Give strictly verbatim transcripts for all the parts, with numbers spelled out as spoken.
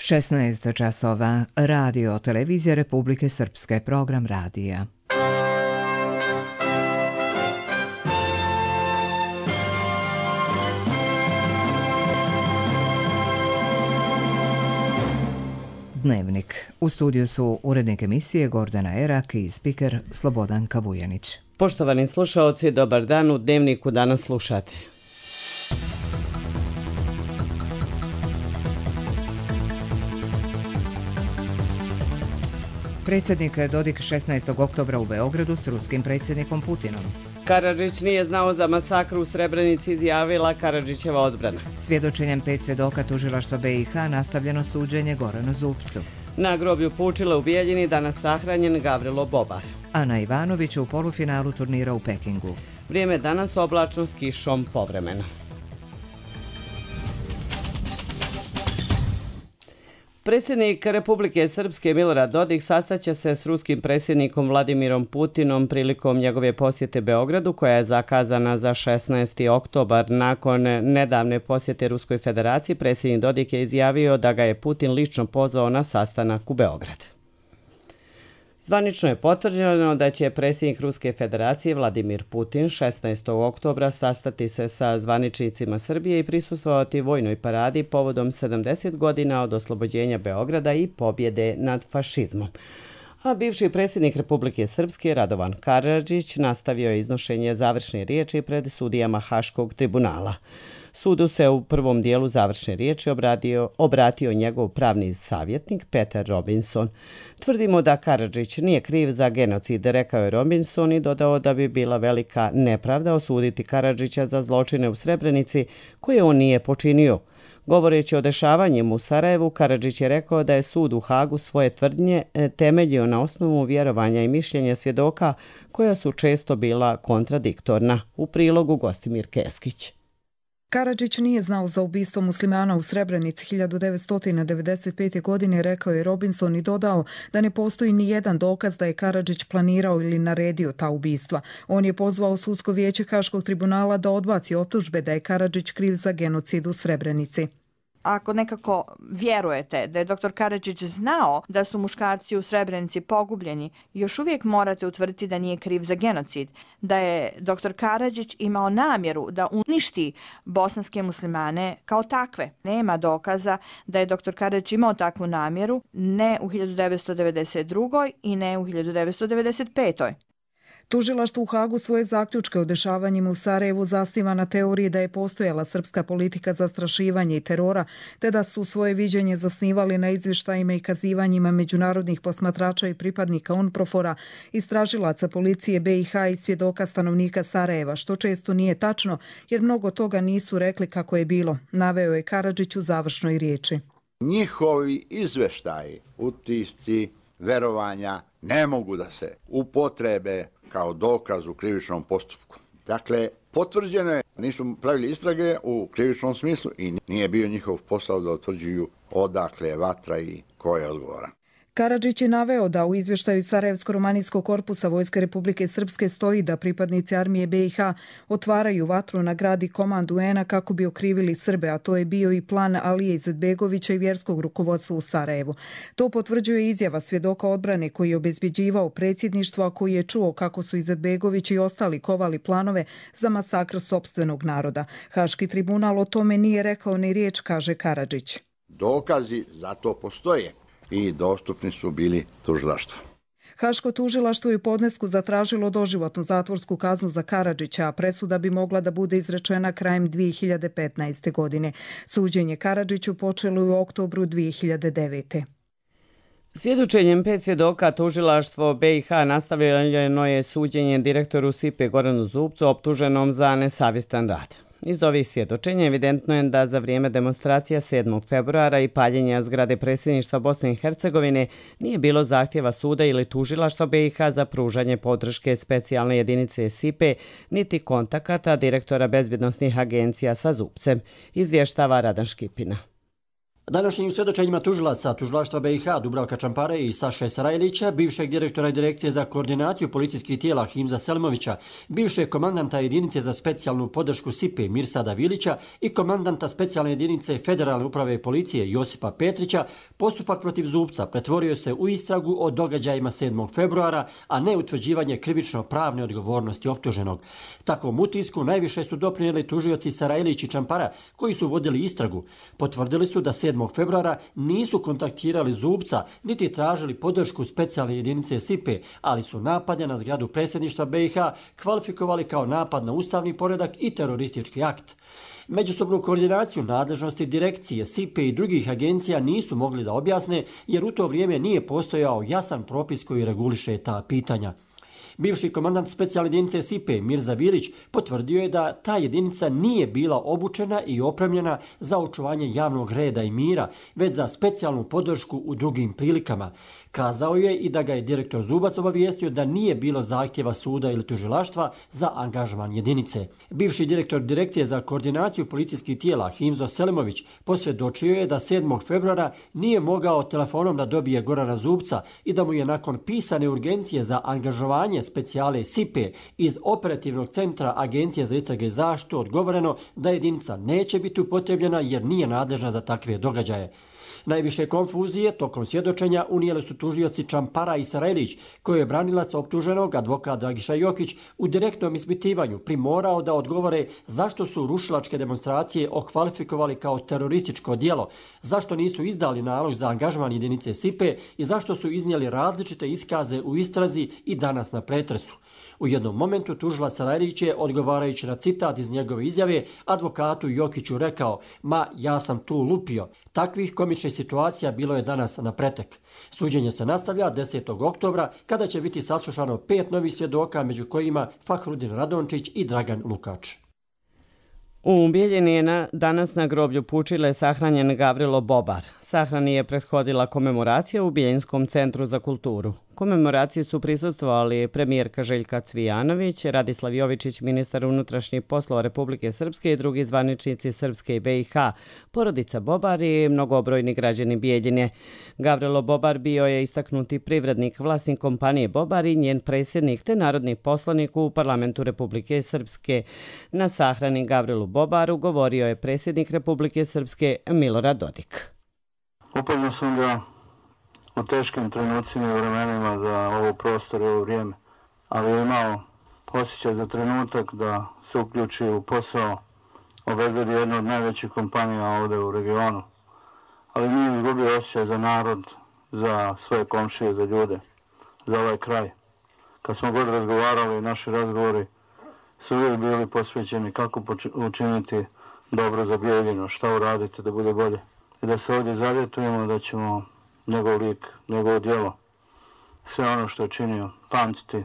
šesnaest časova, Radio Televizija Republike Srpske, program radija. Dnevnik. U studiju su urednik emisije Gordana Erak i spiker Slobodan Kavujanić. Poštovani slušaoci, dobar dan. U Dnevniku danas slušate. Predsjednik Dodik šesnaestog oktobra u Beogradu s ruskim predsjednikom Putinom. Karadžić nije znao za masakru u Srebrenici, izjavila Karadžićeva odbrana. Svjedočenjem pet svjedoka tužilaštva B i H nastavljeno suđenje Goranu Zupcu. Na groblju Pučile u Bijeljini danas sahranjen Gavrilo Bobar. Ana Ivanović u polufinalu turnira u Pekingu. Vrijeme danas oblačno s kišom povremeno. Predsjednik Republike Srpske Milorad Dodik sastaće se s ruskim predsjednikom Vladimirom Putinom prilikom njegove posjete Beogradu, koja je zakazana za šesnaesti oktobar. Nakon nedavne posjete Ruskoj federaciji, predsjednik Dodik je izjavio da ga je Putin lično pozvao na sastanak u Beograd. Zvanično je potvrđeno da će predsjednik Ruske federacije Vladimir Putin šesnaestog oktobra sastati se sa zvaničnicima Srbije i prisustvovati vojnoj paradi povodom sedamdeset godina od oslobođenja Beograda i pobjede nad fašizmom. A bivši predsjednik Republike Srpske Radovan Karadžić nastavio je iznošenje završne riječi pred sudijama Haškog tribunala. Sudu se u prvom dijelu završne riječi obratio, obratio njegov pravni savjetnik Peter Robinson. Tvrdimo da Karadžić nije kriv za genocid, rekao je Robinson i dodao da bi bila velika nepravda osuditi Karadžića za zločine u Srebrenici koje on nije počinio. Govoreći o dešavanjima u Sarajevu, Karadžić je rekao da je sud u Hagu svoje tvrdnje temeljio na osnovu vjerovanja i mišljenja svjedoka koja su često bila kontradiktorna. U prilogu Gostimir Keskić. Karadžić nije znao za ubistvo muslimana u Srebrenici hiljadu devetsto devedeset pete. godine, rekao je Robinson i dodao da ne postoji ni jedan dokaz da je Karadžić planirao ili naredio ta ubistva. On je pozvao sudsko vijeće Haškog tribunala da odbaci optužbe da je Karadžić kriv za genocid u Srebrenici. Ako nekako vjerujete da je doktor Karadžić znao da su muškarci u Srebrenici pogubljeni, još uvijek morate utvrditi da nije kriv za genocid, da je doktor Karadžić imao namjeru da uništi bosanske muslimane kao takve. Nema dokaza da je doktor Karadžić imao takvu namjeru, ne u hiljadu devetsto devedeset drugoj. i ne u hiljadu devetsto devedeset petoj. Tužilaštvo u Hagu svoje zaključke o dešavanjima u Sarajevu zasniva na teoriji da je postojala srpska politika zastrašivanja i terora, te da su svoje viđenje zasnivali na izvještajima i kazivanjima međunarodnih posmatrača i pripadnika UNPROFOR-a, istražilaca policije B i H i svjedoka stanovnika Sarajeva, što često nije tačno jer mnogo toga nisu rekli kako je bilo, naveo je Karadžić u završnoj riječi. Njihovi izvještaji, utisci, verovanja ne mogu da se upotrebe kao dokaz u krivičnom postupku. Dakle, potvrđeno je, nisu pravili istrage u krivičnom smislu i nije bio njihov posao da utvrđuju odakle je vatra i ko je odgovoran. Karadžić je naveo da u izvještaju Sarajevsko-romanijskog korpusa Vojske Republike Srpske stoji da pripadnici armije B i H otvaraju vatru na grad i komandu U N a kako bi okrivili Srbe, a to je bio i plan Alije Izetbegovića i vjerskog rukovodstva u Sarajevu. To potvrđuje izjava svjedoka odbrane koji je obezbjeđivao predsjedništvo, a koji je čuo kako su Izetbegović i ostali kovali planove za masakr sopstvenog naroda. Haški tribunal o tome nije rekao ni riječ, kaže Karadžić. Dokazi za to postoje i dostupni su bili tužilaštvu. Haško tužilaštvo je u podnesku zatražilo doživotnu zatvorsku kaznu za Karadžića, a presuda bi mogla da bude izrečena krajem dvije hiljade petnaeste. godine. Suđenje Karadžiću počelo je u oktobru dvije hiljade devete. Svjedočenjem pet svjedoka tužilaštvo B i H nastavljeno je suđenje direktoru S I P-e Goranu Zupcu optuženom za nesavjestan rad. Iz ovih svjedočenja evidentno je da za vrijeme demonstracija sedmog februara i paljenja zgrade predsjedništva Bosne i Hercegovine nije bilo zahtjeva suda ili tužilaštva B i H za pružanje podrške specijalne jedinice S I P E, niti kontakata direktora bezbjednosnih agencija sa Zupcem, izvještava Radan Škipina. Današnjim svjedočenjima tužilaca Tužilaštva B i H Dubravka Čampare i Saše Sarajlića, bivšeg direktora Direkcije za koordinaciju policijskih tijela Himza Selimovića, bivšeg komandanta jedinice za specijalnu podršku S I P E Mirsada Vilića i komandanta specijalne jedinice Federalne uprave policije Josipa Petrića, postupak protiv Zubca pretvorio se u istragu o događajima sedmog februara, a ne utvrđivanje krivično-pravne odgovornosti optuženog. Takvom utisku najviše su doprinijeli tužioci Sarajlić i Čampara, koji su vodili istragu. Potvrdili su da sedmog februara nisu kontaktirali Zubca niti tražili podršku specijalne jedinice S I P E, ali su napade na zgradu predsjedništva B i H kvalifikovali kao napad na ustavni poredak i teroristički akt. Međusobnu koordinaciju nadležnosti direkcije, S I P E i drugih agencija nisu mogli da objasne, jer u to vrijeme nije postojao jasan propis koji reguliše ta pitanja. Bivši komandant specijalne jedinice S I P E Mirza Vilić potvrdio je da ta jedinica nije bila obučena i opremljena za očuvanje javnog reda i mira, već za specijalnu podršku u drugim prilikama. Kazao je i da ga je direktor Zubac obavijestio da nije bilo zahtjeva suda ili tužilaštva za angažman jedinice. Bivši direktor Direkcije za koordinaciju policijskih tijela Himzo Selimović posvjedočio je da sedmog februara nije mogao telefonom da dobije Gorana Zubca i da mu je nakon pisane urgencije za angažovanje specijale S I P E iz operativnog centra Agencije za istrage i zaštitu odgovoreno da jedinica neće biti upotrebljena jer nije nadležna za takve događaje. Najviše konfuzije tokom svjedočenja unijeli su tužioci Čampara i Sarajlić, koji je branilac optuženog, advokat Dragiša Jokić, u direktnom ispitivanju primorao da odgovore zašto su rušilačke demonstracije okvalifikovali kao terorističko djelo, zašto nisu izdali nalog za angažman jedinice S I P E i zašto su iznijeli različite iskaze u istrazi i danas na pretresu. U jednom momentu tužilac Sarajlić je, odgovarajući na citat iz njegove izjave, advokatu Jokiću rekao: "Ma, ja sam tu lupio." Takvih komičnih situacija bilo je danas na pretek. Suđenje se nastavlja desetog oktobra, kada će biti saslušano pet novih svjedoka, među kojima Fahrudin Radončić i Dragan Lukač. U Bijeljini je na, danas na groblju Pučile sahranjen Gavrilo Bobar. Sahrani je prethodila komemoracija u Bijeljinskom centru za kulturu. Komemoraciji su prisustvovali premijerka Željka Cvijanović, Radislav Jovičić, ministar unutrašnjih poslova Republike Srpske i drugi zvaničnici Srpske i B i H, porodica Bobar i mnogobrojni građani Bijeljine. Gavrilo Bobar bio je istaknuti privrednik, vlasnik kompanije Bobar i njen predsjednik te narodni poslanik u parlamentu Republike Srpske. Na sahrani Gavrilu Bobaru govorio je predsjednik Republike Srpske Milorad Dodik. Upoznao sam ga u teškim trenucima i vremenima za ovo prostor i ovo vrijeme, ali je imao osjećaj za trenutak da se uključi u posao, obezbedi jednu od najvećih kompanija ovdje u regionu, ali nije izgubio osjećaj za narod, za svoje komšije, za ljude, za ovaj kraj. Kad smo god razgovarali, naši razgovori su uvijek bili posvećeni kako učiniti dobro za Bijeljinu, šta uraditi da bude bolje. I da se ovdje zavjetujemo da ćemo njegov lik, njegovo djelo, sve ono što je činio, pamtiti,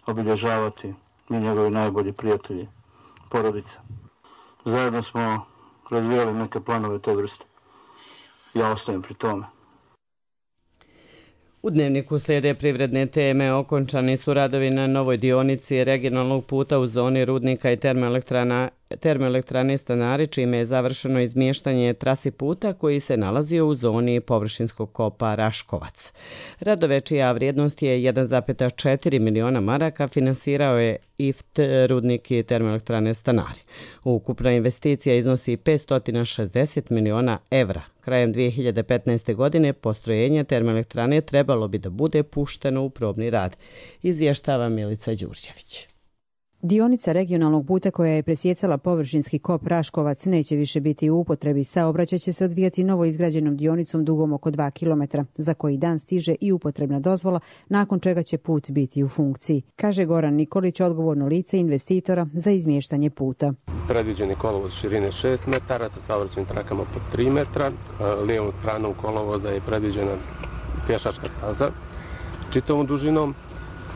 obilježavati, mi njegovi najbolji prijatelji, porodica. Zajedno smo razvijali neke planove te vrste. Ja ostajem pri tome. U Dnevniku slijede privredne teme. Okončani su radovi na novoj dionici regionalnog puta u zoni rudnika i termoelektrana termoelektrane Stanari, čime je završeno izmještanje trasi puta koji se nalazio u zoni površinskog kopa Raškovac. Radove čija vrijednost je jedan zarez četiri miliona maraka finansirao je I F T rudnik i termoelektrane Stanari. Ukupna investicija iznosi petsto šezdeset miliona evra. Krajem dvije hiljade petnaeste. godine postrojenje termoelektrane trebalo bi da bude pušteno u probni rad, izvještava Milica Đurđević. Dionica regionalnog puta koja je presjecala površinski kop Raškovac neće više biti u upotrebi. Saobraćaj će se odvijati novo izgrađenom dionicom dugom oko dva kilometra, za koji dan stiže i upotrebna dozvola, nakon čega će put biti u funkciji, kaže Goran Nikolić, odgovorno lice investitora za izmještanje puta. Predviđeni kolovoz širine šest metara sa saobraćajnim trakama po tri metra. Lijevom stranom kolovoza je predviđena pješačka staza čitavom dužinom.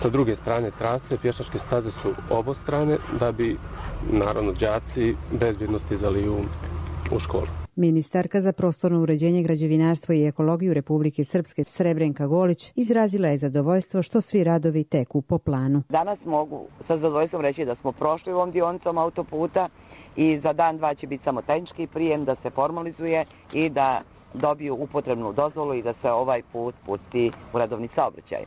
Sa druge strane trase pješačke staze su obostrane da bi naravno đaci bezbjedno stizali u, u školu. Ministarka za prostorno uređenje, građevinarstvo i ekologiju Republike Srpske Srebrenka Golić izrazila je zadovoljstvo što svi radovi teku po planu. Danas mogu sa zadovoljstvom reći da smo prošli ovom dionicom autoputa i za dan dva će biti samo tehnički prijem da se formalizuje i da dobiju upotrebnu dozvolu i da se ovaj put pusti u redovni saobraćaj.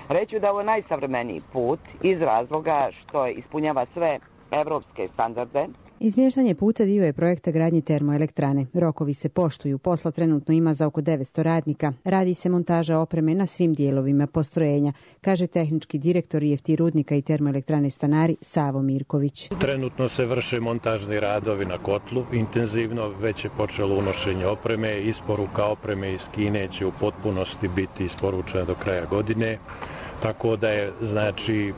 Reću da je ovo najsavremeniji put iz razloga što ispunjava sve evropske standarde. Izmještanje puta dio je projekta gradnje termoelektrane. Rokovi se poštuju, posla trenutno ima za oko devetsto radnika. Radi se montaža opreme na svim dijelovima postrojenja, kaže tehnički direktor I F T rudnika i termoelektrane Stanari Savo Mirković. Trenutno se vrše montažni radovi na kotlu intenzivno, već je počelo unošenje opreme, isporuka opreme iz Kine će u potpunosti biti isporučena do kraja godine. Tako da je, znači,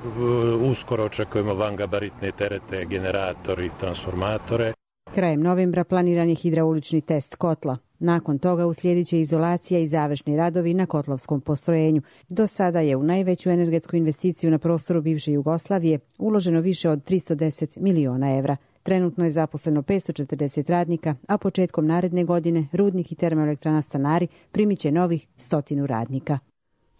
uskoro očekujemo vangabaritne terete, generatori, transformatore. Krajem novembra planiran je hidraulični test kotla. Nakon toga uslijedit će izolacija i završni radovi na kotlovskom postrojenju. Do sada je u najveću energetsku investiciju na prostoru bivše Jugoslavije uloženo više od tristo deset miliona evra. Trenutno je zaposleno petsto četrdeset radnika, a početkom naredne godine rudnik i termoelektrana Stanari primit će novih stotinu radnika.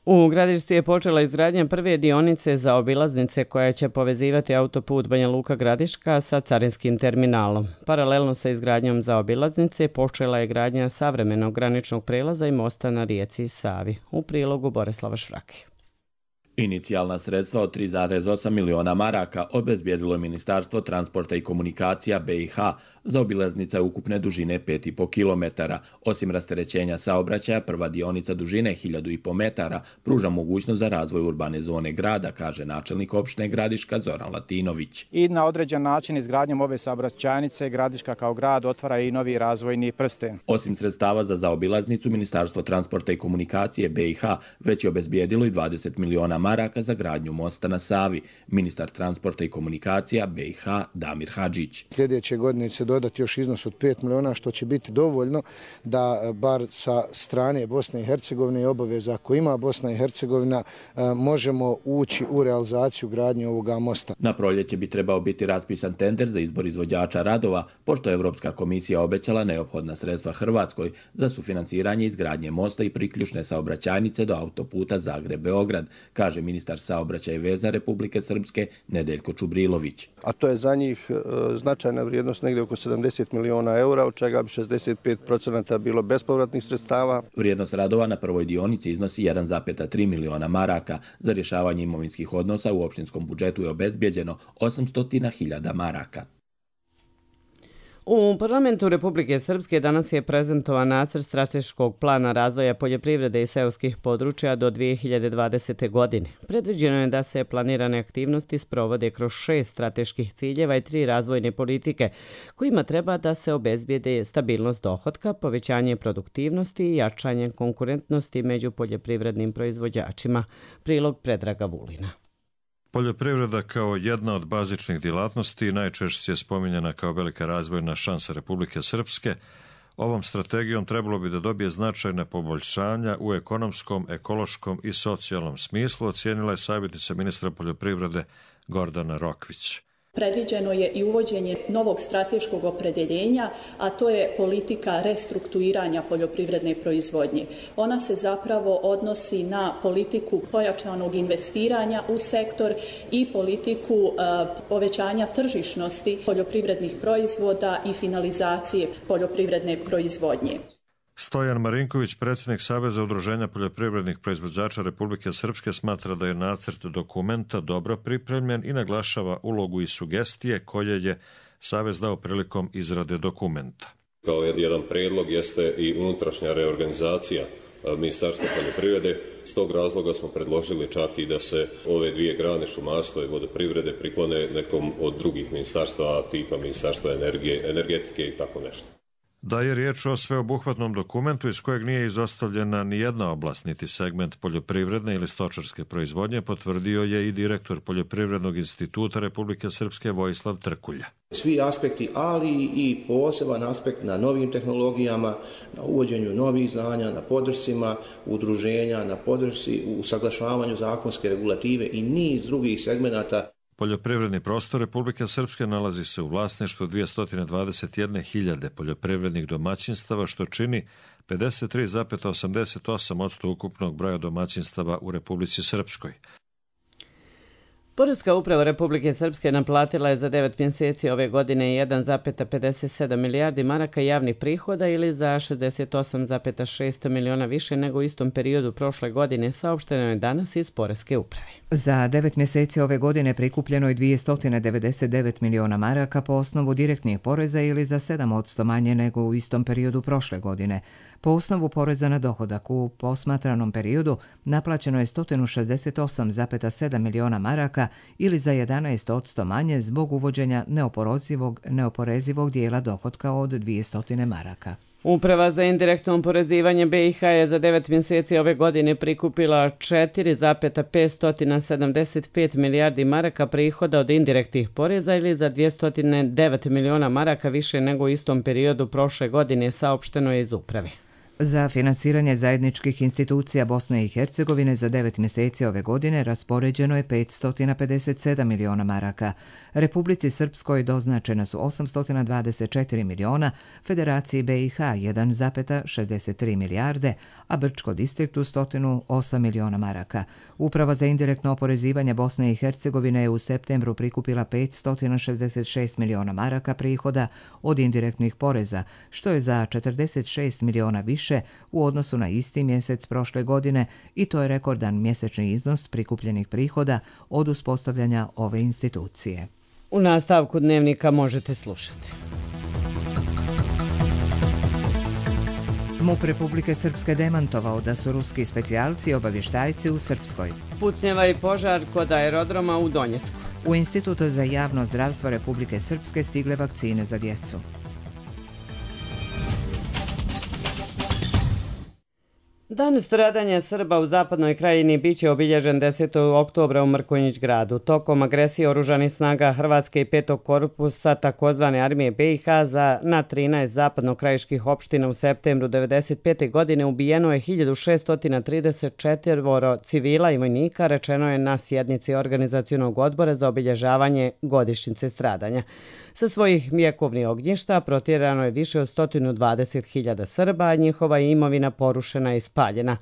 U Gradišci je počela izgradnja prve dionice za obilaznice koja će povezivati autoput Banja Luka Gradiška sa carinskim terminalom. Paralelno sa izgradnjom za obilaznice počela je gradnja savremenog graničnog prelaza i mosta na rijeci Savi. U prilogu Borislava Švrake. Inicijalna sredstva od tri zarez osam miliona maraka obezbijedilo je Ministarstvo transporta i komunikacija B i H za obilaznice ukupne dužine pet i po kilometara. Osim rasterećenja saobraćaja, prva dionica dužine hiljadu i po metara pruža mogućnost za razvoj urbane zone grada, kaže načelnik opštine Gradiška Zoran Latinović. I na određen način izgradnjom ove saobraćajnice Gradiška kao grad otvara i novi razvojni prsten. Osim sredstava za zaobilaznicu, Ministarstvo transporta i komunikacije B i H već je obezbijedilo i dvadeset miliona maraka za gradnju mosta na Savi. Ministar transporta i komunikacija B i H Damir Hadžić. Sljedeće godine će dodati još iznos od pet miliona, što će biti dovoljno da bar sa strane Bosne i Hercegovine i obaveza ako ima Bosna i Hercegovina možemo ući u realizaciju gradnje ovoga mosta. Na proljeće bi trebao biti raspisan tender za izbor izvođača radova, pošto je Evropska komisija obećala neophodna sredstva Hrvatskoj za sufinansiranje izgradnje mosta i priključne saobraćajnice do autoputa Zagreb-Beograd, kaže ministar saobraćaja i veza Republike Srpske Nedeljko Čubrilović. A to je za njih značajna vrijednost, negdje oko sedamdeset miliona eura, od čega bi šezdeset pet posto bilo bespovratnih sredstava. Vrijednost radova na prvoj dionici iznosi jedan zarez tri miliona maraka. Za rješavanje imovinskih odnosa u opštinskom budžetu je obezbijeđeno osamsto hiljada maraka. U parlamentu Republike Srpske danas je prezentovan nacrt strateškog plana razvoja poljoprivrede i seoskih područja do dvije hiljade dvadesete. godine. Predviđeno je da se planirane aktivnosti sprovode kroz šest strateških ciljeva i tri razvojne politike, kojima treba da se obezbijede stabilnost dohotka, povećanje produktivnosti i jačanje konkurentnosti među poljoprivrednim proizvođačima. Prilog Predraga Vulina. Poljoprivreda kao jedna od bazičnih djelatnosti najčešće je spominjana kao velika razvojna šansa Republike Srpske. Ovom strategijom trebalo bi da dobije značajne poboljšanja u ekonomskom, ekološkom i socijalnom smislu, ocijenila je savjetnica ministra poljoprivrede Gordana Rokvić. Predviđeno je i uvođenje novog strateškog opredjeljenja, a to je politika restrukturiranja poljoprivredne proizvodnje. Ona se zapravo odnosi na politiku pojačanog investiranja u sektor i politiku uh, povećanja tržišnosti poljoprivrednih proizvoda i finalizacije poljoprivredne proizvodnje. Stojan Marinković, predsjednik Saveza udruženja poljoprivrednih proizvođača Republike Srpske, smatra da je nacrt dokumenta dobro pripremljen i naglašava ulogu i sugestije koje je Savez dao prilikom izrade dokumenta. Kao jedan predlog jeste i unutrašnja reorganizacija Ministarstva poljoprivrede. S tog razloga smo predložili čak i da se ove dvije grane, šumarstva i vodoprivrede, priklone nekom od drugih ministarstva, tipa Ministarstva energije, energetike i tako nešto. Da je riječ o sveobuhvatnom dokumentu iz kojeg nije izostavljena ni jedna oblast, niti segment poljoprivredne ili stočarske proizvodnje, potvrdio je i direktor Poljoprivrednog instituta Republike Srpske Vojislav Trkulja. Svi aspekti, ali i poseban aspekt na novim tehnologijama, na uvođenju novih znanja, na podršcima udruženja, na podršci u usaglašavanju zakonske regulative i niz drugih segmenata. Poljoprivredni prostor Republike Srpske nalazi se u vlasništvu dvjesto dvadeset jedne hiljade poljoprivrednih domaćinstava, što čini pedeset tri zarez osamdeset osam posto ukupnog broja domaćinstava u Republici Srpskoj. Poreska uprava Republike Srpske naplatila je za devet mjeseci ove godine jedan zarez pedeset sedam milijardi maraka javnih prihoda ili za šezdeset osam zarez šest miliona više nego u istom periodu prošle godine, saopšteno je danas iz Poreske uprave. Za devet mjeseci ove godine prikupljeno je dvjesto devedeset devet miliona maraka po osnovu direktnih poreza ili za sedam posto manje nego u istom periodu prošle godine. Po osnovu poreza na dohodak u posmatranom periodu naplaćeno je sto šezdeset osam zarez sedam miliona maraka ili za jedanaest posto manje zbog uvođenja neoporezivog, neoporezivog dijela dohotka od dvjesto maraka. Uprava za indirektno oporezivanje B i H je za devet mjeseci ove godine prikupila četiri zarez petsto sedamdeset pet milijardi maraka prihoda od indirektnih poreza ili za dvjesto devet miliona maraka više nego u istom periodu prošle godine, saopšteno je iz uprave. Za finansiranje zajedničkih institucija Bosne i Hercegovine za devet mjeseci ove godine raspoređeno je petsto pedeset sedam miliona maraka. Republici Srpskoj doznačena su osamsto dvadeset četiri miliona, Federaciji B i H jedan zarez šezdeset tri milijarde, a Brčko distriktu sto osam miliona maraka. Uprava za indirektno oporezivanje Bosne i Hercegovine je u septembru prikupila petsto šezdeset šest miliona maraka prihoda od indirektnih poreza, što je za četrdeset šest miliona više u odnosu na isti mjesec prošle godine i to je rekordan mjesečni iznos prikupljenih prihoda od uspostavljanja ove institucije. U nastavku dnevnika možete slušati. MUP Republike Srpske demantovao da su ruski specijalci obavještajci u Srpskoj. Pucnjeva i požar kod aerodroma u Donjecku. U Institutu za javno zdravstvo Republike Srpske stigle vakcine za djecu. Dan stradanja Srba u zapadnoj krajini biće obilježen desetog oktobra u Mrkonjić gradu. Tokom agresije oružanih snaga Hrvatske i petog korpusa takozvane armije B i H za na trinaest zapadnokrajiških opština u septembru devedeset pete. godine ubijeno je hiljadu šeststo trideset četiri civila i vojnika, rečeno je na sjednici organizacionog odbora za obilježavanje godišnjice stradanja. Sa svojih vjekovnih ognjišta protjerano je više od sto dvadeset hiljada Srba, a njihova imovina porušena i spaljena.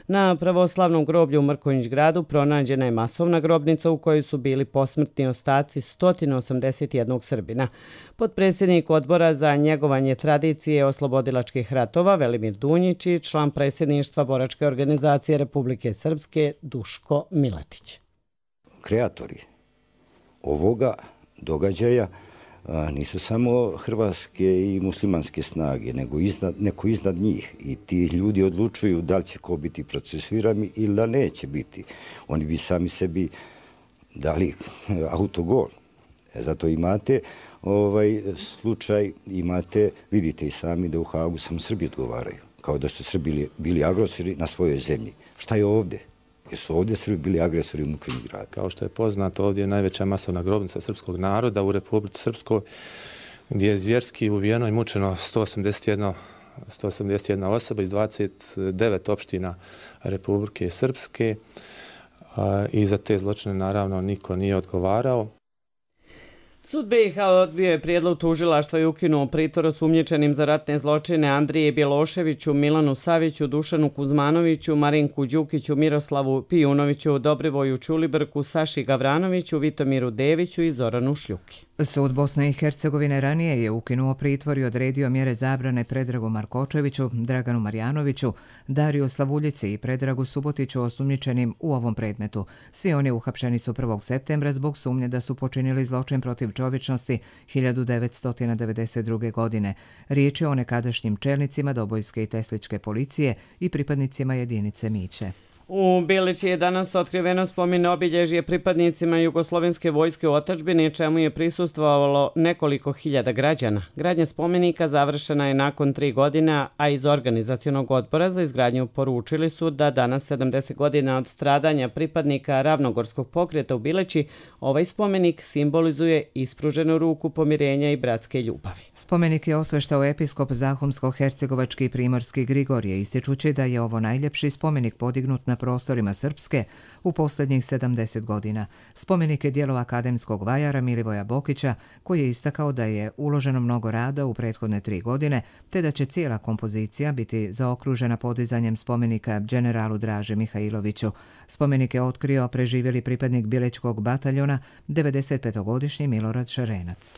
Na pravoslavnom groblju u Mrkonjić gradu pronađena je masovna grobnica u kojoj su bili posmrtni ostaci sto osamdeset jednog Srbina. Potpredsjednik odbora za njegovanje tradicije oslobodilačkih ratova Velimir Dunjić i član predsjedništva Boračke organizacije Republike Srpske Duško Miletić. Kreatori ovoga događaja nisu samo hrvatske i muslimanske snage, nego iznad, neko iznad njih. I ti ljudi odlučuju da li će ko biti procesuirani ili da neće biti. Oni bi sami sebi dali autogol. E, zato imate ovaj slučaj, imate, vidite i sami da u Hagu samo Srbi odgovaraju. Kao da su Srbi bili agresori na svojoj zemlji. Šta je ovdje? Jer su ovdje Srbi bili agresori u Mrkonjić gradu. Kao što je poznato, ovdje je najveća masovna grobnica srpskog naroda u Republici Srpskoj, gdje je zvjerski ubijeno i mučeno sto osamdeset jedna osoba iz dvadeset devet opština Republike Srpske i za te zločine naravno niko nije odgovarao. Sud B i H odbio je prijedlog tužilaštva i ukinuo pritvor osumnjičenim za ratne zločine Andrije Bjeloševiću, Milanu Saviću, Dušanu Kuzmanoviću, Marinku Đukiću, Miroslavu Pijunoviću, Dobrivoju Čulibrku, Saši Gavranoviću, Vitomiru Deviću i Zoranu Šljuki. Sud Bosne i Hercegovine ranije je ukinuo pritvor i odredio mjere zabrane Predragu Markočeviću, Draganu Marjanoviću, Dariju Slavuljici i Predragu Subotiću osumnjičenim u ovom predmetu. Svi oni uhapšeni su prvog septembra zbog sumnje da su počinili zločin protiv čovječnosti hiljadu devetsto devedeset druge. godine. Riječ je o nekadašnjim čelnicima Dobojske i Tesličke policije i pripadnicima jedinice Miće. U Bilići je danas otkriveno spomen obilježje pripadnicima Jugoslovenske vojske u otadžbini, čemu je prisustvovalo nekoliko hiljada građana. Gradnja spomenika završena je nakon tri godina, a iz organizacionog odbora za izgradnju poručili su da danas sedamdeset godina od stradanja pripadnika Ravnogorskog pokreta u Bilići, ovaj spomenik simbolizuje ispruženu ruku pomirenja i bratske ljubavi. Spomenik je osveštao episkop Zahumsko-hercegovački Primorski Grigorije, ističući da je ovo najljepši spomenik podignut na prostorima Srpske u posljednjih sedamdeset godina. Spomenik je djelo akademskog vajara Milivoja Bokića, koji je istakao da je uloženo mnogo rada u prethodne tri godine, te da će cijela kompozicija biti zaokružena podizanjem spomenika generalu Draži Mihajloviću. Spomenik je otkrio preživjeli pripadnik Bilećkog bataljona, devedesetpetogodišnji Milorad Šarenac.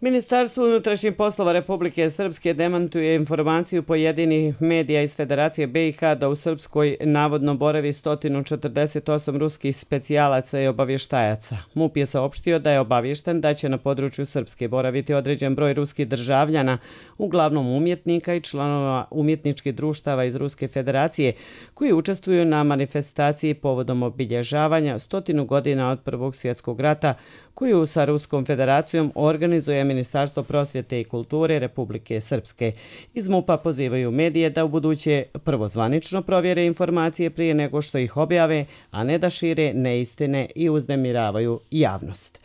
Ministarstvo unutrašnjih poslova Republike Srpske demantuje informaciju pojedinih medija iz Federacije B i H da u Srpskoj navodno boravi sto četrdeset osam ruskih specijalaca i obavještajaca. MUP je saopštio da je obavješten da će na području Srpske boraviti određen broj ruskih državljana, uglavnom umjetnika i članova umjetničkih društava iz Ruske Federacije, koji učestvuju na manifestaciji povodom obilježavanja stotinu godina od Prvog svjetskog rata, koju sa Ruskom Federacijom organizuje Ministarstvo prosvjete i kulture Republike Srpske. Iz MUP-a pozivaju medije da u buduće prvo zvanično provjere informacije prije nego što ih objave, a ne da šire neistine i uznemiravaju javnost.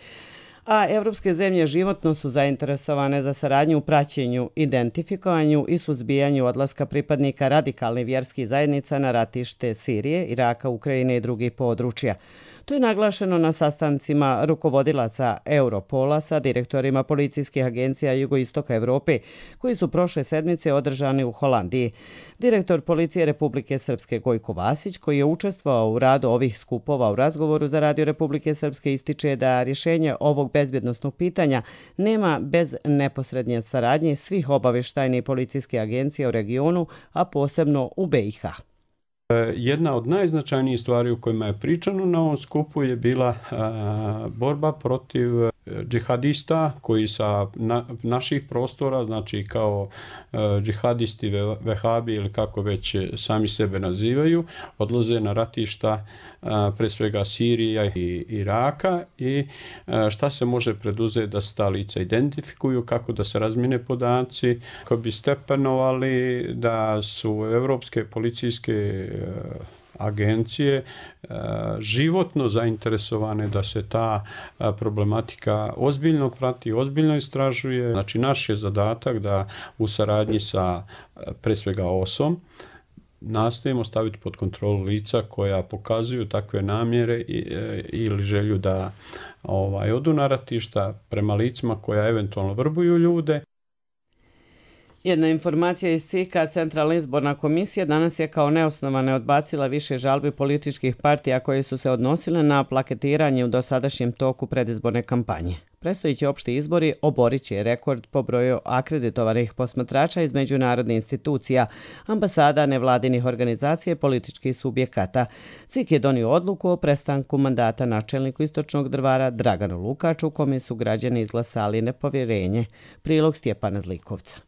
A evropske zemlje životno su zainteresovane za saradnju u praćenju, identifikovanju i suzbijanju odlaska pripadnika radikalnih vjerskih zajednica na ratište Sirije, Iraka, Ukrajine i drugih područja. To je naglašeno na sastancima rukovodilaca Europola sa direktorima policijskih agencija Jugoistoka Evrope, koji su prošle sedmice održani u Holandiji. Direktor Policije Republike Srpske Gojko Vasić, koji je učestvovao u radu ovih skupova u razgovoru za Radio Republike Srpske, ističe da rješenje ovog bezbjednosnog pitanja nema bez neposrednje saradnje svih obavještajnih i policijskih agencija u regionu, a posebno u B i H. Jedna od najznačajnijih stvari u kojima je pričano na ovom skupu je bila a, borba protiv džihadista koji sa na, naših prostora, znači kao a, džihadisti, vehabi ili kako već sami sebe nazivaju, odlaze na ratišta a, pre svega Sirija i Iraka i a, šta se može preduzeti da se ta lica identifikuju, kako da se razmine podaci, kako bi stepenovali da su evropske policijske agencije životno zainteresovane da se ta problematika ozbiljno prati, ozbiljno istražuje. Znači naš je zadatak da u saradnji sa pre svega O S om nastojimo staviti pod kontrolu lica koja pokazuju takve namjere ili želju da ovaj, odu na ratišta prema licima koja eventualno vrbuju ljude. Jedna informacija iz C I K-a, Centralna izborna komisija, danas je kao neosnovane odbacila više žalbi političkih partija koje su se odnosile na plaketiranje u dosadašnjem toku predizborne kampanje. Predstojeći opšti izbori oborit će rekord po broju akreditovanih posmatrača iz međunarodnih institucija, ambasada, nevladinih organizacija i političkih subjekata. C I K je donio odluku o prestanku mandata načelniku Istočnog Drvara Draganu Lukaču, kome su građani izglasali nepovjerenje. Prilog Stjepana Zlikovca.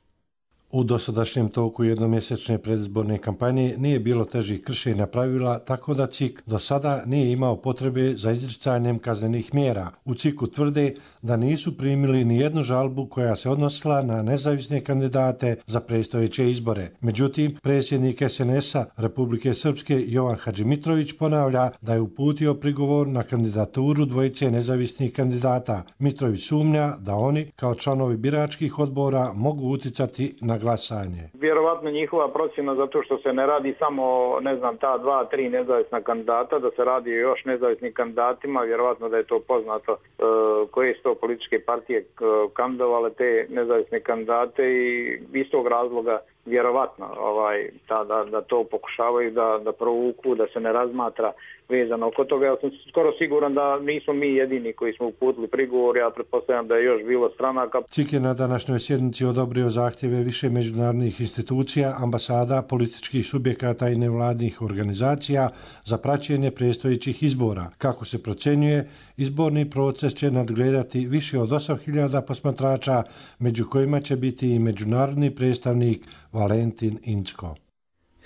U dosadašnjem toku jednomjesečne predizborne kampanje nije bilo težih kršenja pravila, tako da C I K do sada nije imao potrebe za izricanjem kaznenih mjera. U C I K-u tvrde da nisu primili ni jednu žalbu koja se odnosila na nezavisne kandidate za predstojeće izbore. Međutim, predsjednik S N S-a Republike Srpske Jovan Hadžimitrović ponavlja da je uputio prigovor na kandidaturu dvojice nezavisnih kandidata. Mitrović sumnja da oni, kao članovi biračkih odbora, mogu uticati na glasanje. Vjerovatno njihova procjena zato što se ne radi samo, ne znam, ta dva, tri nezavisna kandidata, da se radi o još nezavisnim kandidatima, vjerovatno da je to poznato e, koje su to političke partije kandidovale te nezavisne kandidate i iz tog razloga vjerovatno ovaj, ta, da, da to pokušavaju da, da provuku, da se ne razmatra vezano oko toga. Ja sam skoro siguran da nismo mi jedini koji smo uputili prigovor, ja pretpostavljam da je još bilo stranaka. C I K je na današnjoj sjednici odobrio zahtjeve više međunarodnih institucija, ambasada, političkih subjekata i nevladnih organizacija za praćenje predstojećih izbora. Kako se procjenjuje, izborni proces će nadgledati više od osam hiljada posmatrača, među kojima će biti i međunarodni predstavnik Valentin Inčko.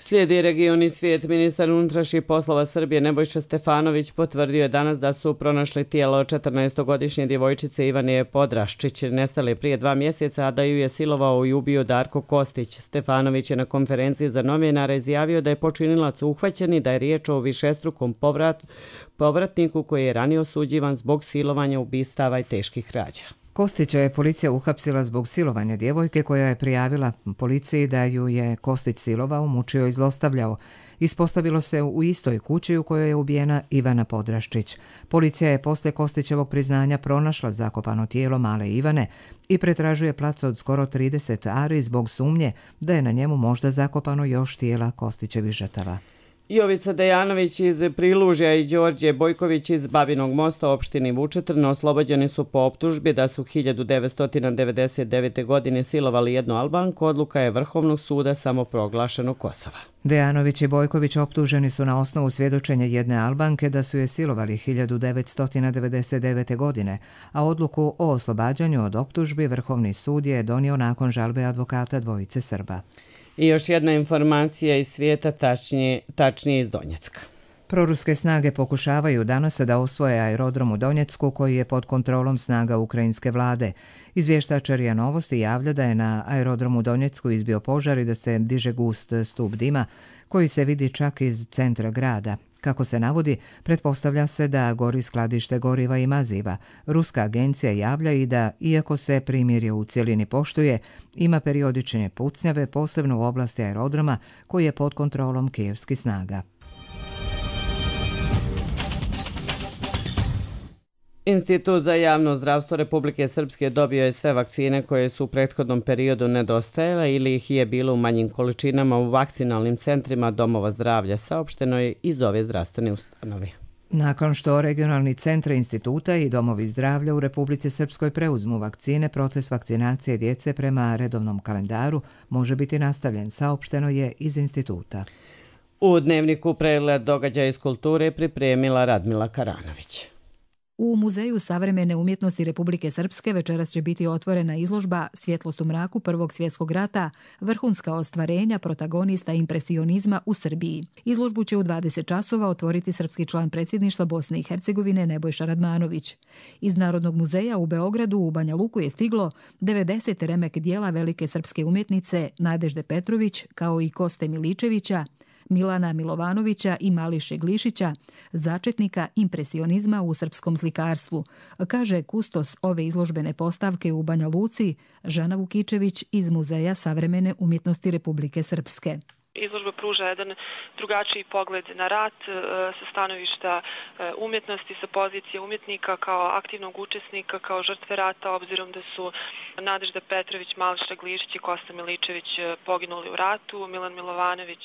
Slijedi regioni svijet. Ministar unutrašnjih poslova Srbije Nebojša Stefanović potvrdio je danas da su pronašli tijelo četrnaestogodišnje djevojčice Ivane Podraščić, nestale prije dva mjeseca, a da ju je silovao i ubio Darko Kostić. Stefanović je na konferenciji za novinare izjavio da je počinilac uhvaćen i da je riječ o višestrukom povrat, povratniku koji je ranije osuđivan zbog silovanja, ubistava i teških krađa. Kostića je policija uhapsila zbog silovanja djevojke koja je prijavila policiji da ju je Kostić silovao, mučio i zlostavljao. Ispostavilo se u istoj kući u kojoj je ubijena Ivana Podraščić. Policija je posle Kostićevog priznanja pronašla zakopano tijelo male Ivane i pretražuje plac od skoro trideset ari zbog sumnje da je na njemu možda zakopano još tijela Kostićevih žrtava. Jovica Dejanović iz Prilužja i Đorđe Bojković iz Babinog Mosta u opštini Vučetrn oslobođeni su po optužbi da su hiljadu devetsto devedeset devete. godine silovali jednu Albanku. Odluka je Vrhovnog suda samoproglašenog Kosova. Dejanović i Bojković optuženi su na osnovu svjedočenja jedne Albanke da su je silovali hiljadu devetsto devedeset devete. godine, a odluku o oslobađanju od optužbi Vrhovni sud je donio nakon žalbe advokata dvojice Srba. I još jedna informacija iz svijeta, tačnije, tačnije iz Donjecka. Proruske snage pokušavaju danas da osvoje aerodrom u Donjecku koji je pod kontrolom snaga ukrajinske vlade. Izvještač RIA Novosti javlja da je na aerodromu u Donjecku izbio požar i da se diže gust stup dima koji se vidi čak iz centra grada. Kako se navodi, pretpostavlja se da gori skladište goriva i maziva. Ruska agencija javlja i da, iako se primirje u cjelini poštuje, ima periodične pucnjave, posebno u oblasti aerodroma koji je pod kontrolom kijevskih snaga. Institut za javno zdravstvo Republike Srpske dobio je sve vakcine koje su u prethodnom periodu nedostajale ili ih je bilo u manjim količinama u vakcinalnim centrima domova zdravlja, saopšteno je iz ove zdravstvene ustanove. Nakon što regionalni centri instituta i domovi zdravlja u Republici Srpskoj preuzmu vakcine, proces vakcinacije djece prema redovnom kalendaru može biti nastavljen, saopšteno je iz instituta. U dnevniku pregled događaja iz kulture pripremila Radmila Karanović. U Muzeju savremene umjetnosti Republike Srpske večeras će biti otvorena izložba Svjetlost u mraku Prvog svjetskog rata, vrhunska ostvarenja protagonista impresionizma u Srbiji. Izložbu će u dvadeset časova otvoriti srpski član predsjedništva Bosne i Hercegovine Nebojša Radmanović. Iz Narodnog muzeja u Beogradu u Banja Luku je stiglo devedeset remek dijela velike srpske umjetnice Nadežde Petrović kao i Koste Miličevića, Milana Milovanovića i Mališe Glišića, začetnika impresionizma u srpskom slikarstvu, kaže kustos ove izložbene postavke u Banja Luci Žana Vukičević iz Muzeja savremene umjetnosti Republike Srpske. Izložba pruža jedan drugačiji pogled na rat sa stanovišta umjetnosti, sa pozicije umjetnika kao aktivnog učesnika, kao žrtve rata, obzirom da su Nadežda Petrović, Mališa Glišić i Kosta Miličević poginuli u ratu. Milan Milovanović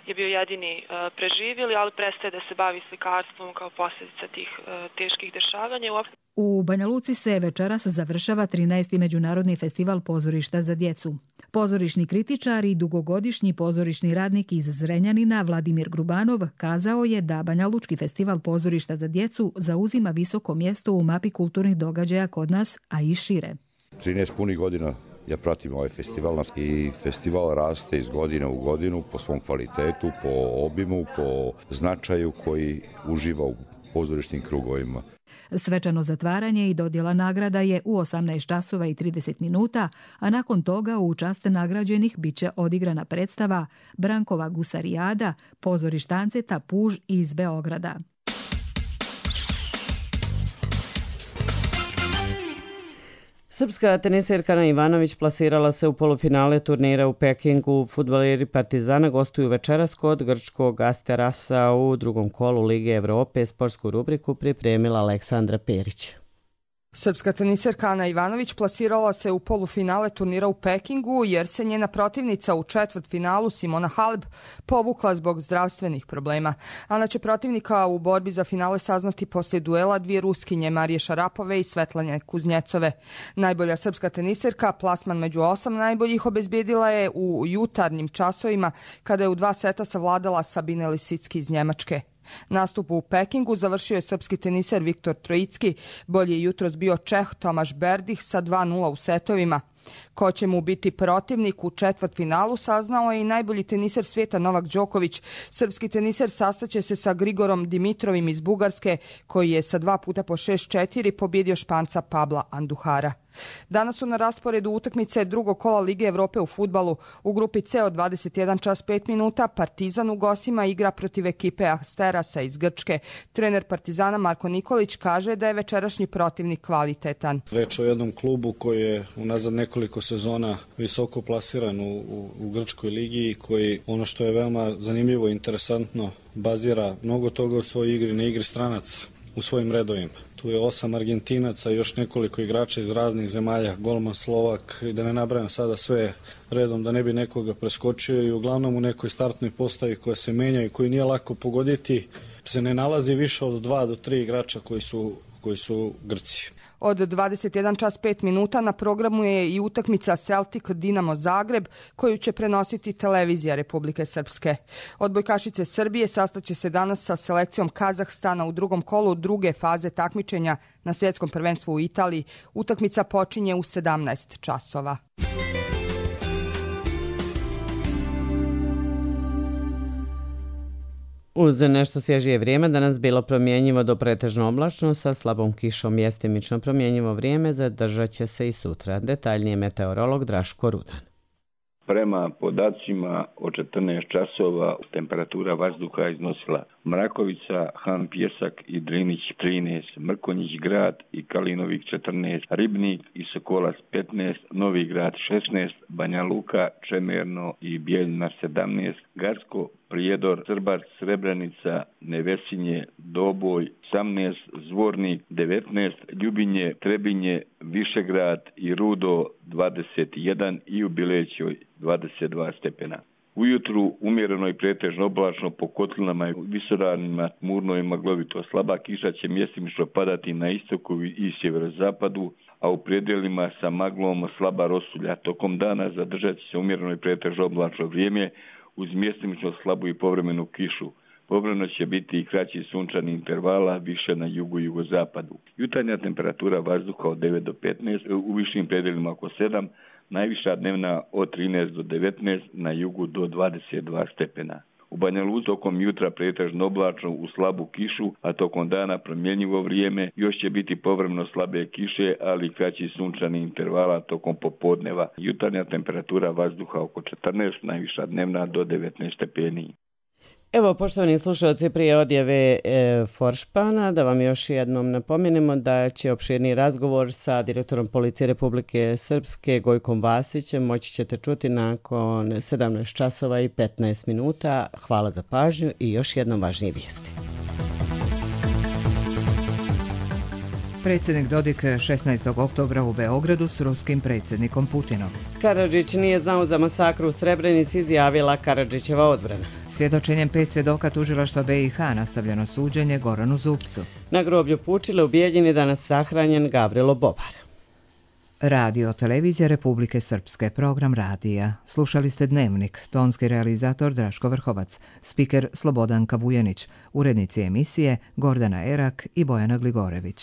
je bio jedini preživjeli, ali prestaje da se bavi slikarstvom kao posljedica tih teških dešavanja. U Banja Luci se večeras završava trinaesti Međunarodni festival pozorišta za djecu. Pozorišni kritičar i dugogodišnji pozorišni radnik iz Zrenjanina Vladimir Grubanov kazao je da Banja Lučki festival pozorišta za djecu zauzima visoko mjesto u mapi kulturnih događaja kod nas, a i šire. trinaest punih godina ja pratim ovaj festival i festival raste iz godine u godinu po svom kvalitetu, po obimu, po značaju koji uživa u pozorišnim krugovima. Svečano zatvaranje i dodjela nagrada je u osamnaest časova i trideset minuta, a nakon toga u čast nagrađenih biće odigrana predstava Brankova Gusarijada, pozorištanceta Puž iz Beograda. Srpska teniserka Ana Ivanović plasirala se u polufinale turnira u Pekingu. Fudbaleri Partizana gostuju večeras kod grčkog Asterasa u drugom kolu Lige Evrope. Sportsku rubriku pripremila Aleksandra Perić. Srpska teniserka Ana Ivanović plasirala se u polufinale turnira u Pekingu jer se njena protivnica u četvrtfinalu Simona Halep povukla zbog zdravstvenih problema. Ana će protivnika u borbi za finale saznati poslije duela dvije Ruskinje Marije Šarapove i Svetlane Kuznjecove. Najbolja srpska teniserka plasman među osam najboljih obezbijedila je u jutarnjim časovima kada je u dva seta savladala Sabine Lisicki iz Njemačke. Nastup u Pekingu završio je srpski teniser Viktor Trojicki, bolji je jutros bio Čeh Tomaš Berdih sa dva nula u setovima. Ko će mu biti protivnik u četvrtfinalu saznao je i najbolji teniser svijeta Novak Đoković. Srpski teniser sastaće se sa Grigorom Dimitrovim iz Bugarske, koji je sa dva puta po šest četiri pobjedio Španca Pabla Anduhara. Danas su na rasporedu utakmice drugog kola Lige Evrope u fudbalu. U grupi C od dvadeset jedan čas pet minuta Partizan u gostima igra protiv ekipe Asterasa iz Grčke. Trener Partizana Marko Nikolić kaže da je večerašnji protivnik kvalitetan. Reč o jednom klubu koji je unazad nekoliko sezona visoko plasiran u, u, u Grčkoj ligi i koji, ono što je veoma zanimljivo i interesantno, bazira mnogo toga u svojoj igri na igri stranaca u svojim redovima. Tu je osam Argentinaca i još nekoliko igrača iz raznih zemalja, golman Slovak, i da ne nabrajam sada sve redom da ne bi nekoga preskočio, i uglavnom u nekoj startnoj postavi koja se menja i koju nije lako pogoditi se ne nalazi više od dva do tri igrača koji su, koji su Grci. Od dvadeset jedan čas pet minuta na programu je i utakmica Celtic Dinamo Zagreb, koju će prenositi televizija Republike Srpske. Odbojkašice Srbije sastaće se danas sa selekcijom Kazahstana u drugom kolu druge faze takmičenja na svjetskom prvenstvu u Italiji. Utakmica počinje u sedamnaest časova. Uz nešto svježije vrijeme danas bilo promjenjivo do pretežno oblačno sa slabom kišom, mjestimično promjenjivo vrijeme zadržat će se i sutra. Detaljnije meteorolog Draško Rudan. Prema podacima od četrnaest časova temperatura vazduha iznosila Mrakovica, Han Pjesak i Drinić trinaest, Mrkonjić grad i Kalinovik četrnaest, Ribnik i Sokolac petnaest, Novi grad šesnaest, Banja Luka, Čemerno i Bijeljina sedamnaest, Gacko, Prijedor, Srbac, Srebrenica, Nevesinje, Doboj osamnaest, Zvornik devetnaest, Ljubinje, Trebinje, Višegrad i Rudo dvadeset jedan i u Bilećoj dvadeset dva stepena. Ujutru umjereno i pretežno oblačno, po kotlinama i visoravnima tmurno i maglovito. Slaba kiša će mjestimično padati na istoku i sjeverozapadu, a u predjelima sa maglom slaba rosulja. Tokom dana zadržat će se umjereno i pretežno oblačno vrijeme uz mjestimično slabu i povremenu kišu. Povremeno će biti i kraći sunčani intervala, više na jugu i jugozapadu. Jutarnja temperatura vazduha od devet do petnaest, u višim predjelima oko sedam, najviša dnevna od trinaest do devetnaest, na jugu do dvadeset dva stepena. U Banja Luci tokom jutra pretežno oblačno uz slabu kišu, a tokom dana promjenjivo vrijeme, još će biti povremeno slabe kiše, ali kraći sunčani intervala tokom popodneva. Jutarnja temperatura vazduha oko četrnaest, najviša dnevna do devetnaest stepeni. Evo, poštovani slušalci, prije odjave e, Foršpana, da vam još jednom napomenemo da će opširni razgovor sa direktorom Policije Republike Srpske Gojkom Vasićem moći ćete čuti nakon sedamnaest časova i petnaest minuta. Hvala za pažnju i još jednom važnije vijesti. Predsjednik Dodik šesnaestog oktobra u Beogradu s ruskim predsjednikom Putinom. Karadžić nije znao za masakru u Srebrenici, izjavila Karadžićeva odbrana. Svjedočenjem pet svjedoka tužilaštva B i H nastavljeno suđenje Goranu Zupcu. Na groblju Pučile u Bijeljini danas sahranjen Gavrilo Bobar. Radio Televizija Republike Srpske, program radija. Slušali ste Dnevnik, tonski realizator Draško Vrhovac, spiker Slobodanka Vujanić, urednici emisije Gordana Erak i Bojana Gligorević.